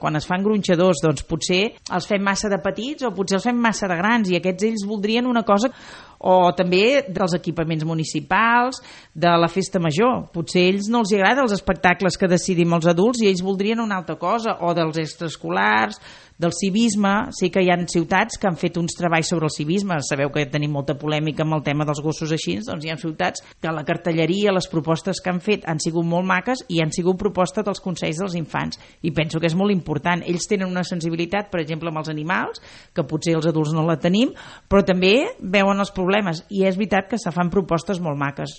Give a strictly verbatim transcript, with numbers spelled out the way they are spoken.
Quan es fan gronxadors, doncs potser els fem massa de petits o potser els fem massa de grans i aquests ells voldrien una cosa, o també dels equipaments municipals, de la festa major. Potser a ells no els agrada els espectacles que decidim els adults i ells voldrien una altra cosa, o dels extraescolars, del civisme. Sí que hi ha ciutats que han fet uns treballs sobre el civisme. Sabeu que tenim molta polèmica amb el tema dels gossos així, doncs hi ha ciutats que la cartelleria, les propostes que han fet han sigut molt maques i han sigut propostes dels consells dels infants, i penso que és molt important. Ells tenen una sensibilitat, per exemple, amb els animals, que potser els adults no la tenim, però també veuen els problemes, i és veritat que se fan propostes molt maques.